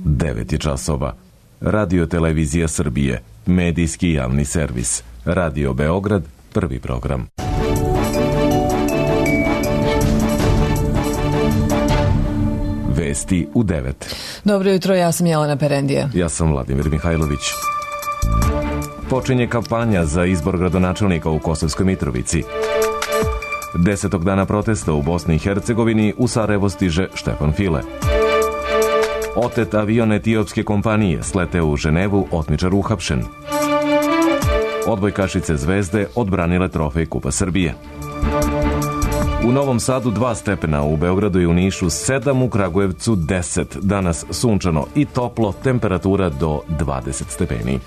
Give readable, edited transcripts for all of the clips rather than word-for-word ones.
9 je časova. Radio Televizija Srbije, medijski javni servis. Radio Beograd, prvi program. Vesti u 9. Dobro jutro, ja sam Jelena Perendija. Ja sam Vladimir Mihajlović. Počinje kampanja za izbor gradonačelnika u Kosovskoj Mitrovici. 10. dana protesta u Bosni i Hercegovini, u Sarajevo stiže Štefan File. Otet avion etiopske kompanije, sleteo u Ženevu, otmičar uhapšen. Odbojkašice Zvezde odbranile trofej Kupa Srbije. U Novom Sadu 2 stepena, u Beogradu i u Nišu 7, u Kragujevcu 10. Danas sunčano i toplo, temperatura do 20 stepeni.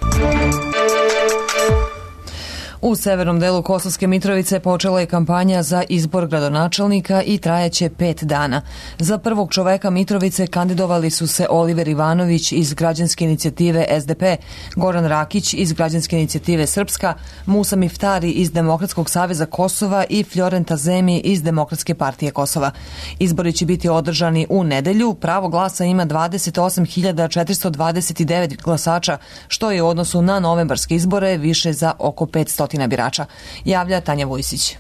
U severnom delu Kosovske Mitrovice počela je kampanja za izbor gradonačelnika i trajaće 5 dana. Za prvog čoveka Mitrovice kandidovali su se Oliver Ivanović iz građanske inicijative SDP, Goran Rakić iz građanske inicijative Srpska, Musa Miftari iz Demokratskog saveza Kosova i Florenta Zemi iz Demokratske partije Kosova. Izbori će biti održani u nedelju. Pravo glasa ima 28.429 glasača, što je u odnosu na novembarske izbore više za oko 500 birača, javlja Tanja Vujsić.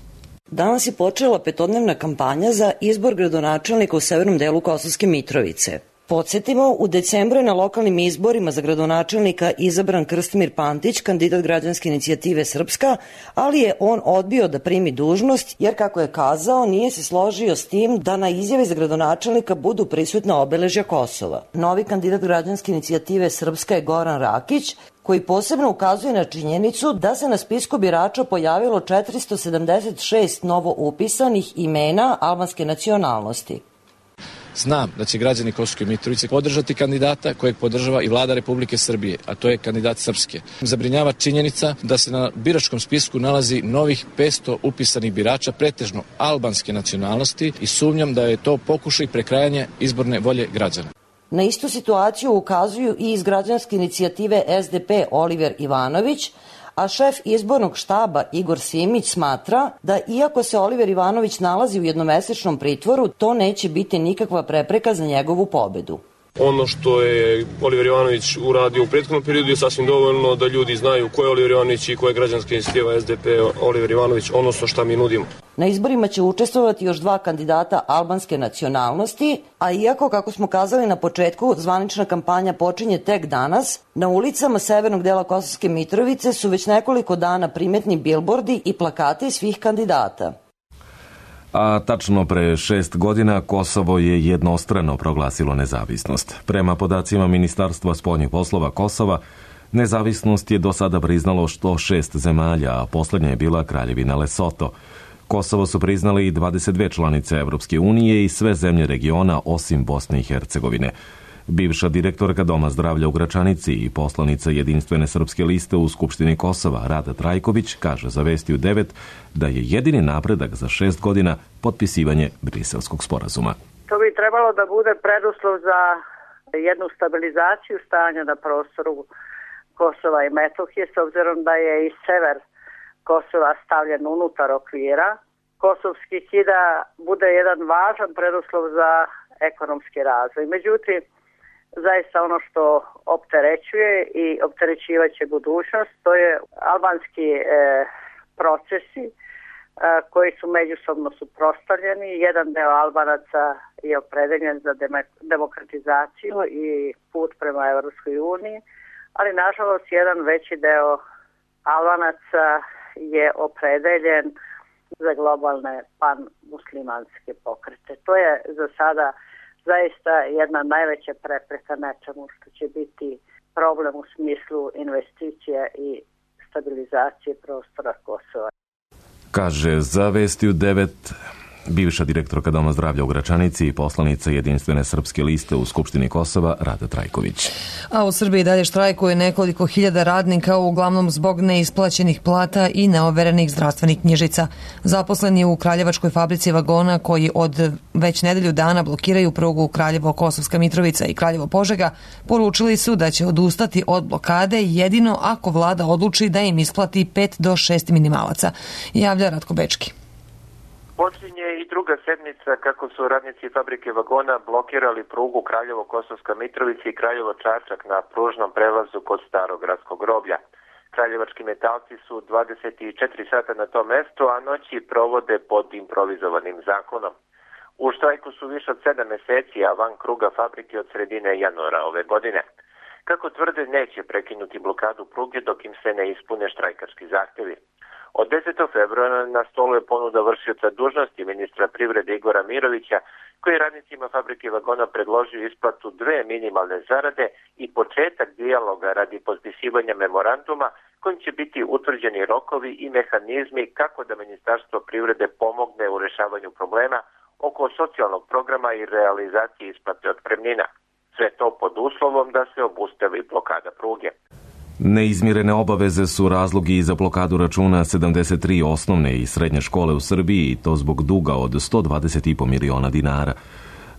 Danas je počela petodnevna kampanja za izbor gradonačelnika u severnom delu Kosovske Mitrovice. Podsjetimo, u decembru je na lokalnim izborima za gradonačelnika izabran Krstimir Pantić, kandidat građanske inicijative Srpska, ali je on odbio da primi dužnost jer, kako je kazao, nije se složio s tim da na izjavi za gradonačelnika budu prisutna obeležja Kosova. Novi kandidat građanske inicijative Srpska je Goran Rakić, koji posebno ukazuje na činjenicu da se na spisku birača pojavilo 476 novo upisanih imena albanske nacionalnosti. Znam da će građani Kosovske Mitrovice podržati kandidata kojeg podržava i vlada Republike Srbije, a to je kandidat Srpske. Zabrinjava činjenica da se na biračkom spisku nalazi novih 500 upisanih birača, pretežno albanske nacionalnosti, i sumnjam da je to pokušaj prekrajanja izborne volje građana. Na istu situaciju ukazuju i iz građanske inicijative SDP Oliver Ivanović, a šef izbornog štaba Igor Simić smatra da iako se Oliver Ivanović nalazi u jednomesečnom pritvoru, to neće biti nikakva prepreka za njegovu pobedu. Ono što je Oliver Ivanović uradio u prethodnom periodu je sasvim dovoljno da ljudi znaju ko je Oliver Ivanović i ko je građanska inicijativa SDP Oliver Ivanović, odnosno šta mi nudimo. Na izborima će učestvovati još 2 kandidata albanske nacionalnosti, a iako, kako smo kazali na početku, zvanična kampanja počinje tek danas, na ulicama severnog dela Kosovske Mitrovice su već nekoliko dana primetni bilbordi i plakati svih kandidata. A tačno pre 6 godina Kosovo je jednostrano proglasilo nezavisnost. Prema podacima Ministarstva spoljnih poslova Kosova, nezavisnost je do sada priznalo 106 zemalja, a poslednja je bila Kraljevina Lesoto. Kosovo su priznali i 22 članice Evropske unije i sve zemlje regiona osim Bosne i Hercegovine. Bivša direktorka Doma zdravlja u Gračanici i poslanica Jedinstvene srpske liste u Skupštini Kosova, Rada Trajković, kaže za Vesti u 9 da je jedini napredak za 6 godina potpisivanje Briselskog sporazuma. To bi trebalo da bude preduslov za jednu stabilizaciju stanja na prostoru Kosova i Metohije, s obzirom da je i sever Kosova stavljen unutar okvira kosovskih i da bude jedan važan preduslov za ekonomski razvoj. Međutim, zaista ono što opterećuje i opterećivaće budućnost, to je albanski procesi koji su međusobno suprotstavljeni. Jedan deo Albanaca je opredeljen za demokratizaciju i put prema Evropskoj uniji, ali nažalost jedan veći deo Albanaca je opredeljen za globalne pan-muslimanske pokrete. To je za sada zaista jedna najveća prepreka nečemu što će biti problem u smislu investicija i stabilizacije prostora Kosova. Kaže za Vesti u 9 bivša direktorka Doma zdravlja u Gračanici i poslanica Jedinstvene srpske liste u Skupštini Kosova, Rada Trajković. A u Srbiji dalje štrajkuje nekoliko hiljada radnika, uglavnom zbog neisplaćenih plata i neoverenih zdravstvenih knjižica. Zaposleni u Kraljevačkoj fabrici vagona, koji od već nedelju dana blokiraju prugu Kraljevo-Kosovska Mitrovica i Kraljevo-Požega, poručili su da će odustati od blokade jedino ako vlada odluči da im isplati 5 do 6 minimalaca, javlja Ratko Bečki. Počinje i druga sedmica kako su radnici fabrike vagona blokirali prugu Kraljevo-Kosovska Mitrovica i Kraljevo-Čačak na pružnom prelazu kod Starog gradskog groblja. Kraljevački metalci su 24 sata na tom mestu, a noći provode pod improvizovanim zakonom. U štrajku su više od 7 meseci, a van kruga fabrike od sredine januara ove godine. Kako tvrde, neće prekinuti blokadu pruge dok im se ne ispune štrajkarski zahtevi. Od 10. februara na stolu je ponuda vršioca dužnosti ministra privrede Igora Mirovića, koji je radnicima fabrike vagona predložio isplatu 2 minimalne zarade i početak dijaloga radi potpisivanja memoranduma kojim će biti utvrđeni rokovi i mehanizmi kako da Ministarstvo privrede pomogne u rešavanju problema oko socijalnog programa i realizacije isplate otpremnina. Sve to pod uslovom da se obustavi blokada pruge. Neizmirene obaveze su razlogi i za blokadu računa 73 osnovne i srednje škole u Srbiji i to zbog duga od 120,5 miliona dinara.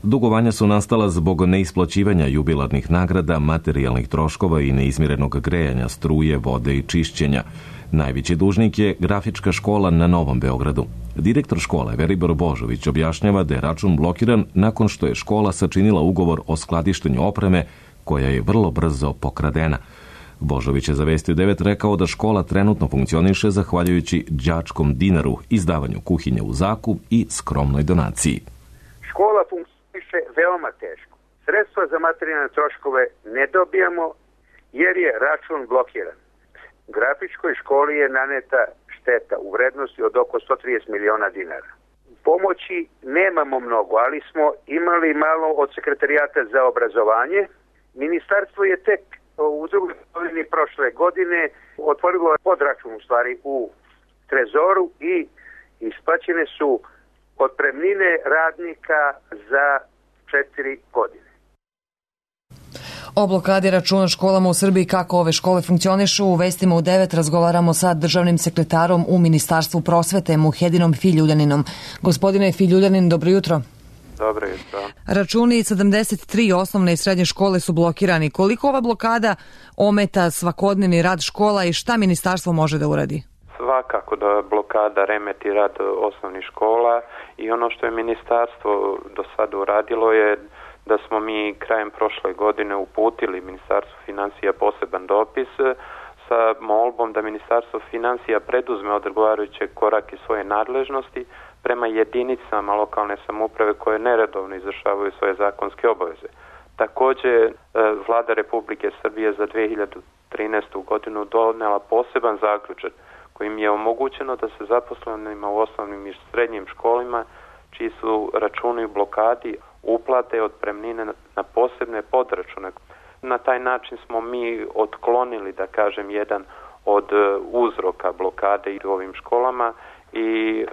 Dugovanja su nastala zbog neisplaćivanja jubilarnih nagrada, materijalnih troškova i neizmirenog grejanja, struje, vode i čišćenja. Najveći dužnik je Grafička škola na Novom Beogradu. Direktor škole Veribor Božović objašnjava da je račun blokiran nakon što je škola sačinila ugovor o skladištenju opreme koja je vrlo brzo pokradena. Božović je za Vesti u 9 rekao da škola trenutno funkcioniše zahvaljujući đačkom dinaru, izdavanju kuhinje u zakup i skromnoj donaciji. Škola funkcioniše veoma teško. Sredstva za materijalne troškove ne dobijamo jer je račun blokiran. Grafičkoj školi je naneta šteta u vrednosti od oko 130 miliona dinara. Pomoći nemamo mnogo, ali smo imali malo od Sekretarijata za obrazovanje. Ministarstvo je tek u drugoj polovini prošle godine otvorilo podračun u stvari u Trezoru i isplaćene su otpremnine radnika za 4 godine. O blokadi računa školama u Srbiji, kako ove škole funkcionišu, u Vestima u 9 razgovaramo sa državnim sekretarom u Ministarstvu prosvete Muhedinom Filjuljaninom. Gospodine Filjuljanin, dobro jutro. Dobro jutro. Računi 73 osnovne i srednje škole su blokirani. Koliko ova blokada ometa svakodnevni rad škola i šta ministarstvo može da uradi? Svakako da blokada remeti rad osnovnih škola i ono što je ministarstvo do sada uradilo je da smo mi krajem prošle godine uputili Ministarstvu financija poseban dopis sa molbom da Ministarstvo financija preduzme odgovarajuće korake svoje nadležnosti prema jedinicama lokalne samouprave koje neredovno izvršavaju svoje zakonske obaveze. Također, Vlada Republike Srbije za 2013. godinu donela poseban zaključak kojim je omogućeno da se zaposlenima u osnovnim i srednjim školama čiji su računi u blokadi uplate otpremnine na posebne podračune. Na taj način smo mi otklonili, da kažem, jedan od uzroka blokade u ovim školama i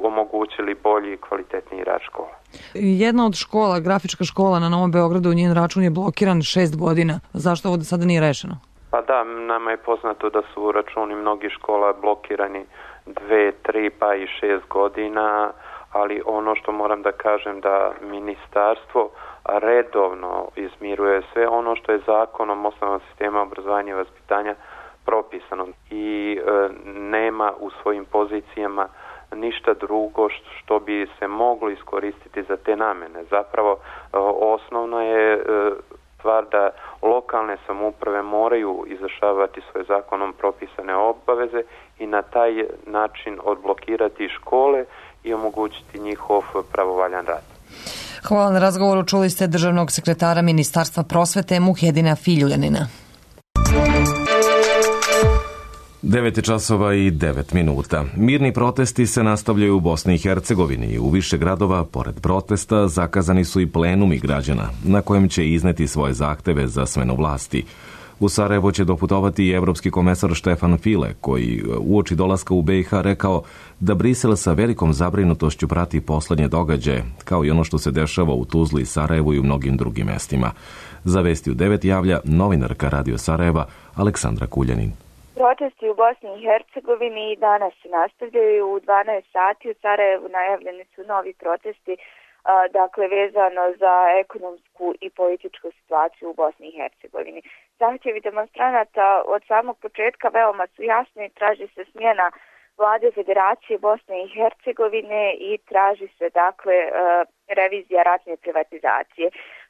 omogućili bolji i kvalitetniji rad škola. Jedna od škola, Grafička škola na Novom Beogradu, njen račun je blokiran 6 godina. Zašto ovo sada nije rešeno? Pa da, nama je poznato da su računi mnogih škola blokirani 2, 3 pa i 6 godina, ali ono što moram da kažem da ministarstvo redovno izmiruje sve ono što je zakonom osnovnog sistema obrazovanja i vaspitanja propisano i nema u svojim pozicijama ništa drugo što bi se moglo iskoristiti za te namene. Zapravo osnovno je stvar da lokalne samouprave moraju izvršavati svoje zakonom propisane obaveze i na taj način odblokirati škole i omogućiti njihov pravovaljan rad. Hvala na razgovoru. Čuli ste državnog sekretara Ministarstva prosvete Muhedina Filjuljanina. 9 časova i 9 minuta. Mirni protesti se nastavljaju u Bosni i Hercegovini. U više gradova, pored protesta, zakazani su i plenumi građana, na kojem će izneti svoje zahteve za smenu vlasti. U Sarajevo će doputovati i evropski komesar Štefan File, koji uoči dolaska u BiH rekao da Brisel sa velikom zabrinutošću prati poslednje događaje, kao i ono što se dešava u Tuzli, Sarajevu i u mnogim drugim mestima. Za Vesti u 9 javlja novinarka Radio Sarajeva Aleksandra Kuljanin. Protesti u Bosni i Hercegovini danas se nastavljaju. U 12 sati u Sarajevu najavljeni su novi protesti, dakle vezano za ekonomsku i političku situaciju u Bosni i Hercegovini. Zahtjevi demonstranata od samog početka veoma su jasni, traži se smjena Vlade Federacije Bosne i Hercegovine i traži se dakle revizija ratne privatizacije.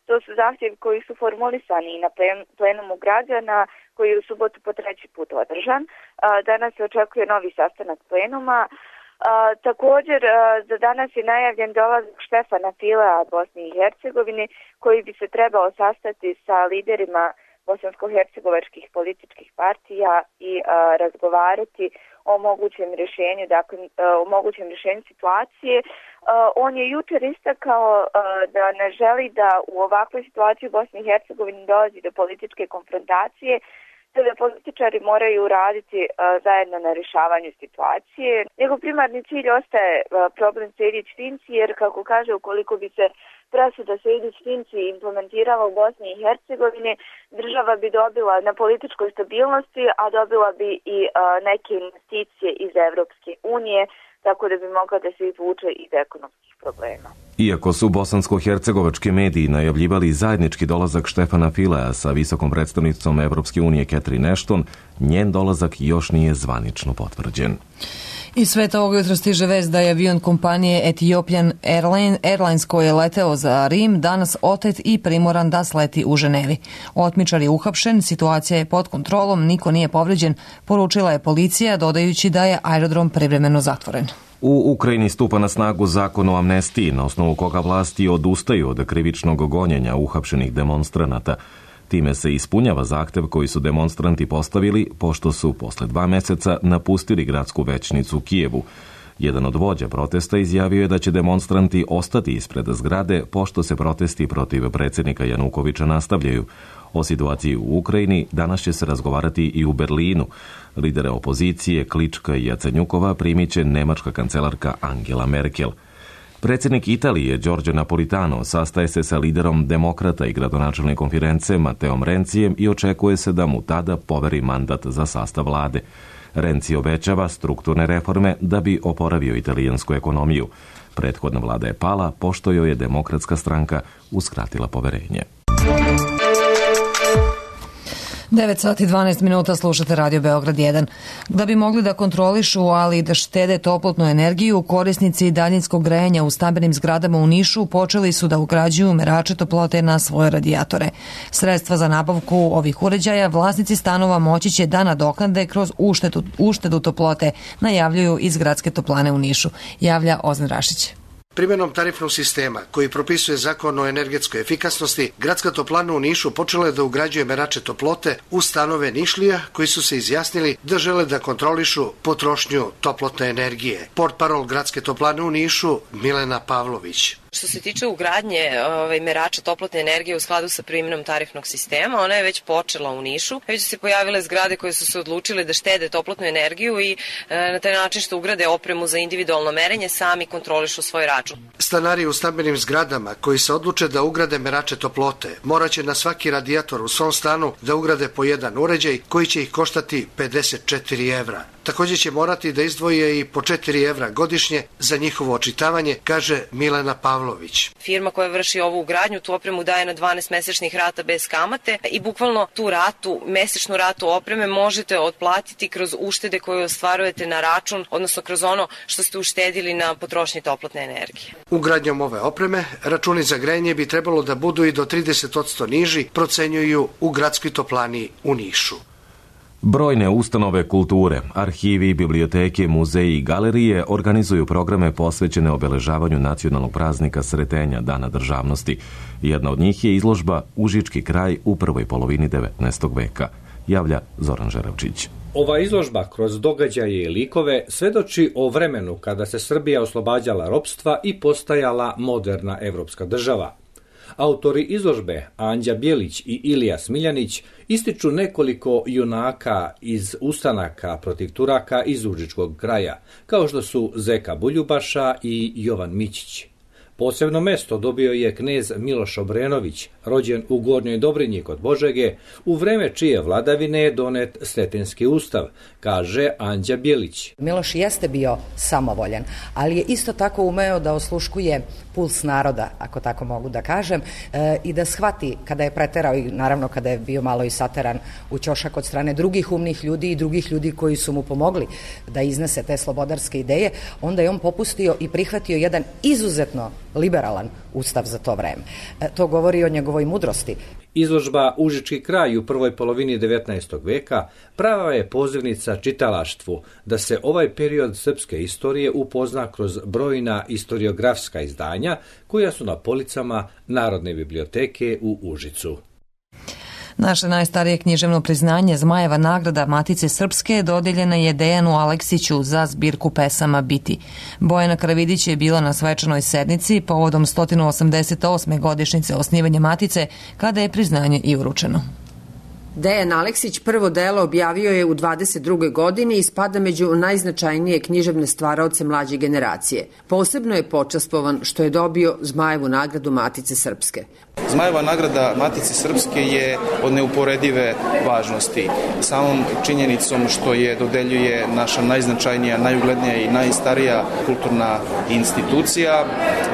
To su zahtjevi koji su formulisani i na plenumu građana koji je u subotu po 3. put održan. Danas se očekuje novi sastanak plenuma. Također za danas je najavljen dolazak Štefana Filea Bosne i Hercegovine koji bi se trebao sastati sa liderima bosansko-hercegovačkih političkih partija i razgovarati o mogućem rješenju, dakle o mogućem rješenju situacije. On je jučer istakao da ne želi da u ovakvoj situaciji u Bosni i Hercegovini dolazi do političke konfrontacije, te da političari moraju raditi zajedno na rješavanju situacije. Njegov primarni cilj ostaje problem Sejdić-Finci, jer kako kaže, ukoliko bi se presuda Sejdić-Finci implementirala u Bosni i Hercegovini, država bi dobila na političkoj stabilnosti, a dobila bi i neke investicije iz Evropske unije, tako da bi mogla da se izvuče iz ekonomskih problema. Iako su bosansko-hercegovački mediji najavljivali zajednički dolazak Štefana Filea sa visokom predstavnicom Evropske unije Catherine Ashton, njen dolazak još nije zvanično potvrđen. Iz sveta ovog jutra stiže vest da je avion kompanije Ethiopian Airlines koji je leteo za Rim danas otet i primoran da sleti u Ženevi. Otmičar je uhapšen, situacija je pod kontrolom, niko nije povređen, poručila je policija, dodajući da je aerodrom privremeno zatvoren. U Ukrajini stupa na snagu zakon o amnestiji, na osnovu koga vlasti odustaju od krivičnog gonjenja uhapšenih demonstranata. Time se ispunjava zahtev koji su demonstranti postavili, pošto su posle 2 meseca napustili gradsku većnicu u Kijevu. Jedan od vođa protesta izjavio je da će demonstranti ostati ispred zgrade, pošto se protesti protiv predsjednika Janukovića nastavljaju. O situaciji u Ukrajini danas će se razgovarati i u Berlinu. Lidere opozicije Klička i Jacenjukova primit će nemačka kancelarka Angela Merkel. Predsjednik Italije Giorgio Napolitano sastaje se sa liderom demokrata i gradonačelnikom Firence Mateom Rencijem i očekuje se da mu tada poveri mandat za sastav vlade. Renzi obećava strukturne reforme da bi oporavio italijansku ekonomiju. Prethodna vlada je pala pošto joj je demokratska stranka uskratila poverenje. 9 sati i 12 minuta slušate Radio Beograd 1. Da bi mogli da kontrolišu, ali i da štede toplotnu energiju, korisnici daljinskog grejanja u stambenim zgradama u Nišu počeli su da ugrađuju merače toplote na svoje radijatore. Sredstva za nabavku ovih uređaja vlasnici stanova moći će da nadoknade kroz uštedu toplote, najavljuju iz Gradske toplane u Nišu. Javlja Ozan Rašić. Primjenom tarifnog sistema koji propisuje zakon o energetskoj efikasnosti, Gradska toplana u Nišu počela je da ugrađuje merače toplote u stanove Nišlija koji su se izjasnili da žele da kontrolišu potrošnju toplotne energije. Portparol Gradske toplane u Nišu Milena Pavlović. Što se tiče ugradnje merača toplotne energije u skladu sa primjenom tarifnog sistema, ona je već počela u Nišu. Već su se pojavile zgrade koje su se odlučile da štede toplotnu energiju i na taj način što ugrade opremu za individualno merenje, sami kontrolišu svoj račun. Stanari u stambenim zgradama koji se odluče da ugrade merače toplote moraće na svaki radijator u svom stanu da ugrade po jedan uređaj koji će ih koštati 54 evra. Također će morati da izdvoje i po 4 evra godišnje za njihovo očitavanje, kaže Milena Pavlović. Firma koja vrši ovu ugradnju tu opremu daje na 12 mesečnih rata bez kamate i bukvalno tu ratu, mesečnu ratu opreme možete otplatiti kroz uštede koje ostvarujete na račun, odnosno kroz ono što ste uštedili na potrošnji toplotne energije. Ugradnjom ove opreme računi za grejanje bi trebalo da budu i do 30% niži, procenjuju u Gradskoj toplani u Nišu. Brojne ustanove kulture, arhivi, biblioteke, muzeji i galerije organizuju programe posvećene obeležavanju nacionalnog praznika Sretenja, Dana državnosti. Jedna od njih je izložba Užički kraj u prvoj polovini 19. veka, javlja Zoran Žeravčić. Ova izložba kroz događaje i likove svedoči o vremenu kada se Srbija oslobađala ropstva i postajala moderna evropska država. Autori izložbe Anđa Bjelić i Ilija Smiljanić ističu nekoliko junaka iz ustanaka protiv Turaka iz Užičkog kraja, kao što su Zeka Buljubaša i Jovan Mićić. Posebno mesto dobio je knez Miloš Obrenović, rođen u Gornjoj Dobrinji kod Požege, u vreme čije vladavine je donet Sretenski ustav, kaže Anđa Bjelić. Miloš jeste bio samovoljan, ali je isto tako umeo da osluškuje puls naroda, ako tako mogu da kažem, i da shvati kada je preterao i naravno kada je bio malo i sateran u ćošak od strane drugih umnih ljudi i drugih ljudi koji su mu pomogli da iznese te slobodarske ideje, onda je on popustio i prihvatio jedan izuzetno liberalan ustav za to vreme. To govori o njegovoj mudrosti. Izložba Užički kraj u prvoj polovini 19. veka prava je pozivnica čitalaštvu da se ovaj period srpske istorije upozna kroz brojna istoriografska izdanja koja su na policama Narodne biblioteke u Užicu. Naše najstarije književno priznanje Zmajeva nagrada Matice Srpske dodeljena je Dejanu Aleksiću za zbirku pesama Biti. Bojana Karavidić je bila na svečanoj sednici povodom 188. godišnjice osnivanja Matice, kada je priznanje i uručeno. Dejan Aleksić prvo delo objavio je u 22. godini i spada među najznačajnije književne stvaraoce mlađe generacije. Posebno je počastvovan što je dobio Zmajevu nagradu Matice Srpske. Zmajeva nagrada Matice Srpske je od neuporedive važnosti. Samom činjenicom što je dodeljuje naša najznačajnija, najuglednija i najstarija kulturna institucija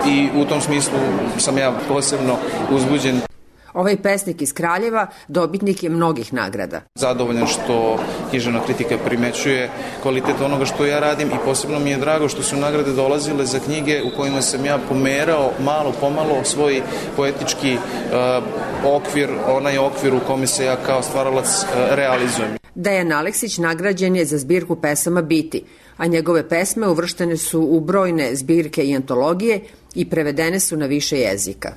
i u tom smislu sam ja posebno uzbuđen. Ovaj pesnik iz Kraljeva dobitnik je mnogih nagrada. Zadovoljan što književna kritika primećuje kvalitet onoga što ja radim i posebno mi je drago što su nagrade dolazile za knjige u kojima sam ja pomerao malo pomalo svoj poetički okvir, onaj okvir u kome se ja kao stvaralac realizujem. Dejan Aleksić nagrađen je za zbirku pesama Biti, a njegove pesme uvrštene su u brojne zbirke i antologije i prevedene su na više jezika.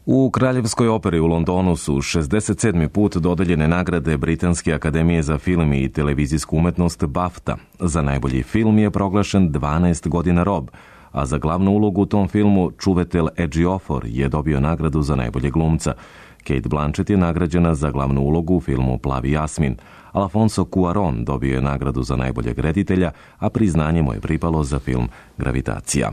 U Kraljevskoj operi u Londonu su 67. put dodeljene nagrade Britanske akademije za film i televizijsku umetnost BAFTA. Za najbolji film je proglašen 12 godina Rob, a za glavnu ulogu u tom filmu Čuvetel Ejiofor je dobio nagradu za najbolje glumca. Kate Blanchett je nagrađena za glavnu ulogu u filmu Plavi Jasmin. Alfonso Cuarón dobio je nagradu za najboljeg reditelja, a priznanje mu je pripalo za film Gravitacija.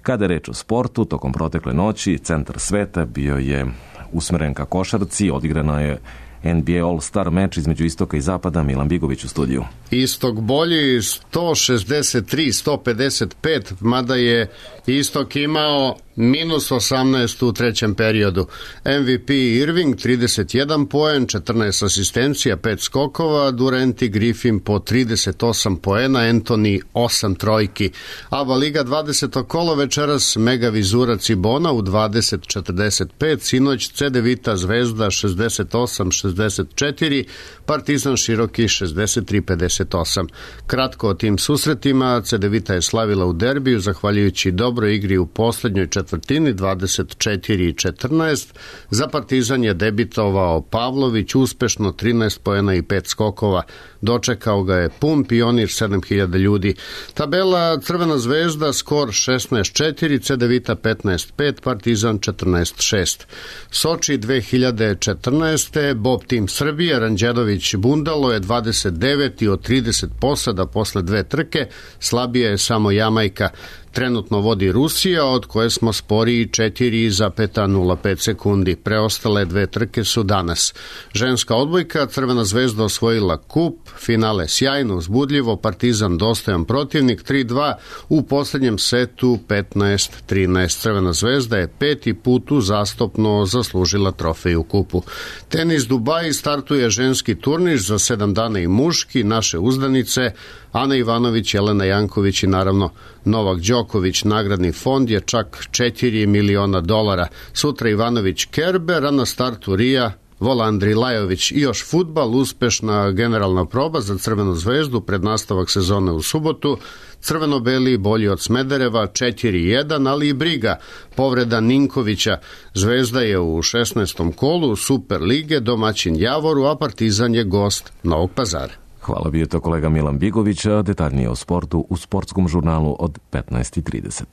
Kada je reč o sportu, tokom protekle noći centar sveta bio je usmeren ka košarci, odigrano je NBA All-Star meč između istoka i zapada. Milan Bigović u studiju. Istok bolji 163-155, mada je istok imao minus 18 u trećem periodu. MVP Irving 31 poen, 14 asistencija, 5 skokova, Durant i Griffin po 38 poena, Anthony 8 trojki. Aba Liga 20. kolo večeras mega vizura Cibona u 20:45, sinoć Cedevita Zvezda 68-64, Partizan Široki 63-58. Kratko o tim susretima, Cedevita je slavila u derbiju zahvaljujući dobroj igri u poslednjoj četvrtini 24-14. Za Partizan je debitovao Pavlović uspešno 13 poena i 5 skokova. Dočekao ga je pun Pionir 7000 ljudi. Tabela Crvena zvezda skor 16-4, Cedevita 15-5, Partizan 14-6. Soči 2014. Bob Tim Srbije, Ranđelović Bundalo je 29 od 30 posada posle dve trke, slabija je samo Jamajka. Trenutno vodi Rusija, od koje smo sporiji 4,05 sekundi. Preostale dve trke su danas. Ženska odbojka, Crvena zvezda osvojila kup, finale sjajno, uzbudljivo, Partizan dostojan protivnik, 3-2, u posljednjem setu 15-13. Crvena zvezda je peti put uzastopno zaslužila trofej u kupu. Tenis Dubai startuje ženski turnir za 7 dana i muški, naše uzdanice, Ana Ivanović, Jelena Janković i naravno Novak Đoković. Nagradni fond je čak $4 miliona. Sutra Ivanović Kerber, a na startu Rija Volandri Lajović. I još fudbal, uspešna generalna proba za Crvenu zvezdu pred nastavak sezone u subotu. Crveno-beli bolji od Smedereva 4-1, ali i briga. Povreda Ninkovića. Zvezda je u 16. kolu Super lige, domaćin Javoru, a Partizan je gost Novog Pazara. Hvala, bio to kolega Milan Bigović, a detaljnije o sportu u sportskom žurnalu od 15:30.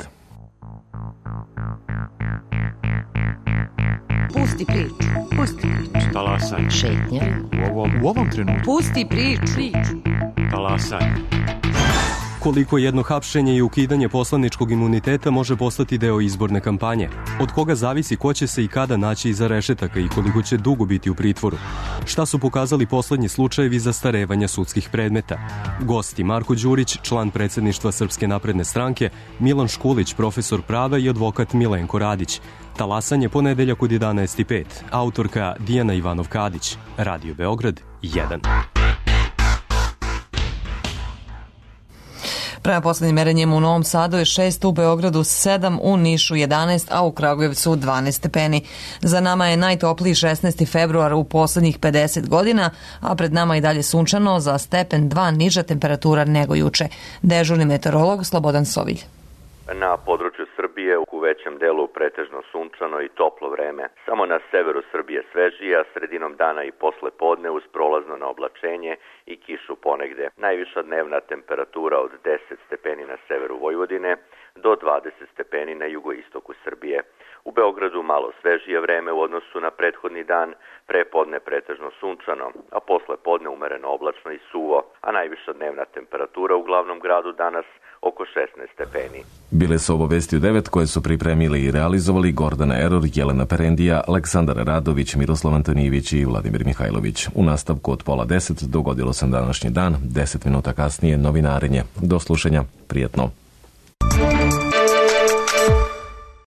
Pusti priču. Pusti priču. Talasaj. Šetnja. U ovom trenutku. Pusti priču. Talasaj. Koliko jedno hapšenje i ukidanje poslaničkog imuniteta može postati deo izborne kampanje? Od koga zavisi ko će se i kada naći iza rešetaka i koliko će dugo biti u pritvoru? Šta su pokazali poslednji slučajevi zastarevanja sudskih predmeta? Gosti Marko Đurić, član predsjedništva Srpske napredne stranke, Milan Škulić, profesor prava i advokat Milenko Radić. Talasanje ponedeljak od 11:05. Autorka Dijana Ivanov-Kadić. Radio Beograd 1. Prema poslednjim merenjima u Novom Sadu je 6, u Beogradu 7, u Nišu 11, a u Kragujevcu 12 stepeni. Za nama je najtopliji 16. februar u poslednjih 50 godina, a pred nama i dalje sunčano, za stepen 2 niža temperatura nego juče. Dežurni meteorolog Slobodan Sovilj. Na području Srbije u većem delu pretežno sunčano i toplo vreme. Samo na severu Srbije svežije, a sredinom dana i posle podne uz prolazno na oblačenje i kišu ponegde. Najviša dnevna temperatura od 10 stepeni na severu Vojvodine do 20 stepeni na jugoistoku Srbije. U Beogradu malo svežije vreme u odnosu na prethodni dan, pre podne pretežno sunčano, a posle podne umereno oblačno i suvo, a najviša dnevna temperatura u glavnom gradu danas oko 16 stepeni. Bile su ovo vesti u 9 koje su pripremili i realizovali Gordana Eror, Jelena Perendija, Aleksandar Radović, Miroslav Antonijević i Vladimir Mihajlović. U nastavku od 9:30 dogodilo se današnji dan, 10 minuta kasnije novinarenje. Do slušanja, prijetno.